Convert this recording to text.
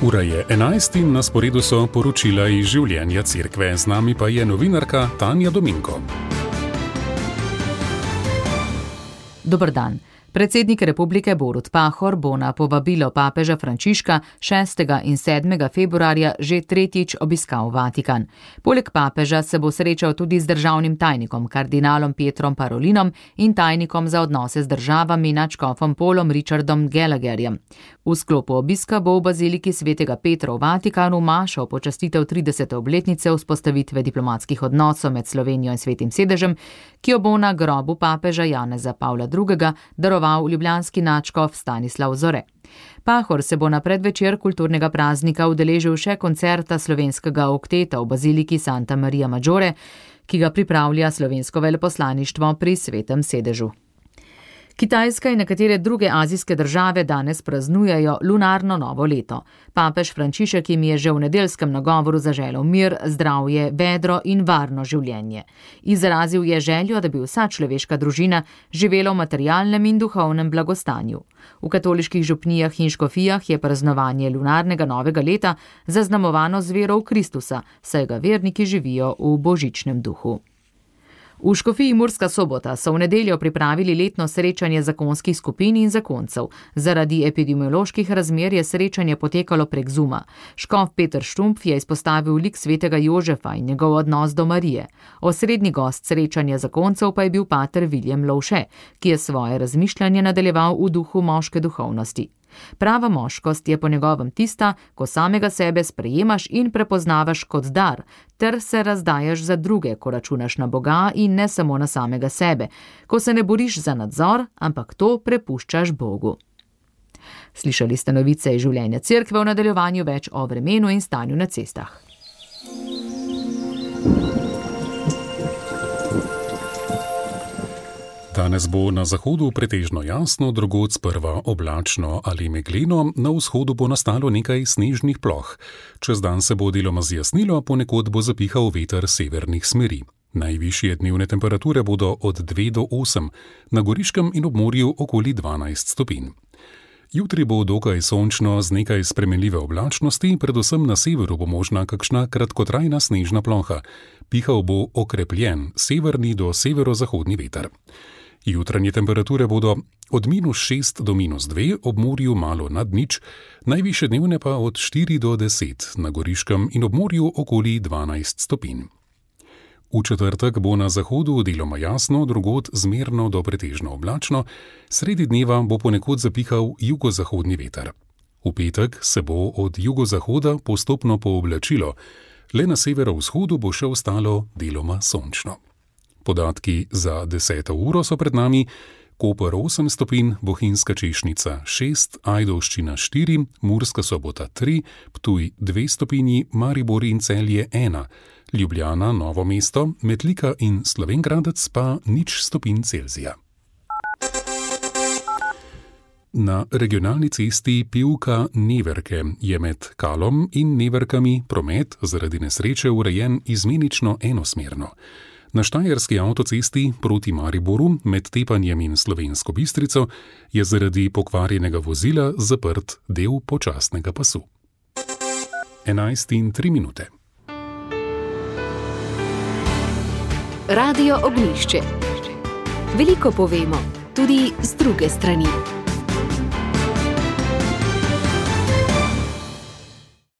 Ura je 11 in na sporedu so poročila iz življenja cerkve. Z nami pa je novinarka Tanja Dominko. Dober dan. Predsednik republike Borut Pahor bo na povabilo papeža Frančiška 6. in 7. februarja že tretjič obiskal Vatikan. Poleg papeža se bo srečal tudi z državnim tajnikom, kardinalom Pietrom Parolinom in tajnikom za odnose z državami nadškofom Paulom Richardom Gallagherjem. V sklopu obiska bo v baziliki svetega Petra v Vatikanu mašo v počastitev 30. obletnice vzpostavitve diplomatskih odnosov med Slovenijo in Svetim sedežem, ki jo bo na grobu papeža Janeza Pavla II. Daroval ljubljanski nadškof Stanislav Zore. Pahor se bo na predvečer kulturnega praznika udeležil še koncerta slovenskega okteta v baziliki Santa Maria Maggiore, ki ga pripravlja slovensko veleposlaništvo pri Svetem sedežu. Kitajska in nekatere druge azijske države danes praznujejo lunarno novo leto. Papež Frančišek jim je že v nedeljskem nagovoru zaželel mir, zdravje, vedro in varno življenje. Izrazil je željo, da bi vsa človeška družina živela v materialnem in duhovnem blagostanju. V katoliških župnijah in škofijah je praznovanje lunarnega novega leta zaznamovano z vero v Kristusa, saj ga verniki živijo v božičnem duhu. V škofiji Murska Sobota so v nedeljo pripravili letno srečanje zakonskih skupin in zakoncev. Zaradi epidemioloških razmer je srečanje potekalo prek Zooma. Škof Peter Štumpf je izpostavil lik svetega Jožefa in njegov odnos do Marije. Osrednji gost srečanja zakoncev pa je bil pater William Lovše, ki je svoje razmišljanje nadaljeval v duhu moške duhovnosti. Prava moškost je po njegovem tista, ko samega sebe sprejemaš in prepoznavaš kot dar, ter se razdajaš za druge, ko računaš na Boga in ne samo na samega sebe, ko se ne boriš za nadzor, ampak to prepuščaš Bogu. Slišali ste novice iz življenja cerkve, v nadaljevanju več o vremenu in stanju na cestah. Danes bo na zahodu pretežno jasno, drugod sprva oblačno ali megleno, na vzhodu bo nastalo nekaj snežnih ploh. Čez dan se bo deloma zjasnilo, ponekod bo zapihal veter severnih smeri. Najvišje dnevne temperature bodo od 2 do 8, na Goriškem in ob morju okoli 12 stopinj. Jutri bo dokaj sončno z nekaj spremenljive oblačnosti, predvsem na severu bo možna kakšna kratkotrajna snežna ploha. Pihal bo okrepljen severni do severozahodni veter. Jutranje temperature bodo od -6 do -2, ob morju malo nad nič, najvišje dnevne pa od 4 do 10, na Goriškem in ob morju okoli 12 stopinj. V četrtek bo na zahodu deloma jasno, drugod zmerno do pretežno oblačno, sredi dneva bo ponekod zapihal jugozahodni veter. V petek se bo od jugozahoda postopno pooblačilo, le na severovzhodu bo še ostalo deloma sončno. Podatki za 10. uro so pred nami: Koper 8 stopinj, Bohinjska Češnica 6, Ajdovščina 4, Murska Sobota 3, Ptuj 2 stopinji, Maribor in Celje 1, Ljubljana, Novo mesto, Metlika in Slovenj Gradec pa 0 stopinj Celzija. Na regionalni cesti Pivka-Neverke je med Kalom in Neverkami promet zaradi nesreče urejen izmenično enosmerno. Na štajerski avtocesti proti Mariboru med Tepanjem in Slovensko Bistrico je zaradi pokvarjenega vozila zaprt del počasnega pasu. 11:03. Radio Ognjišče. Veliko povemo, tudi z druge strani.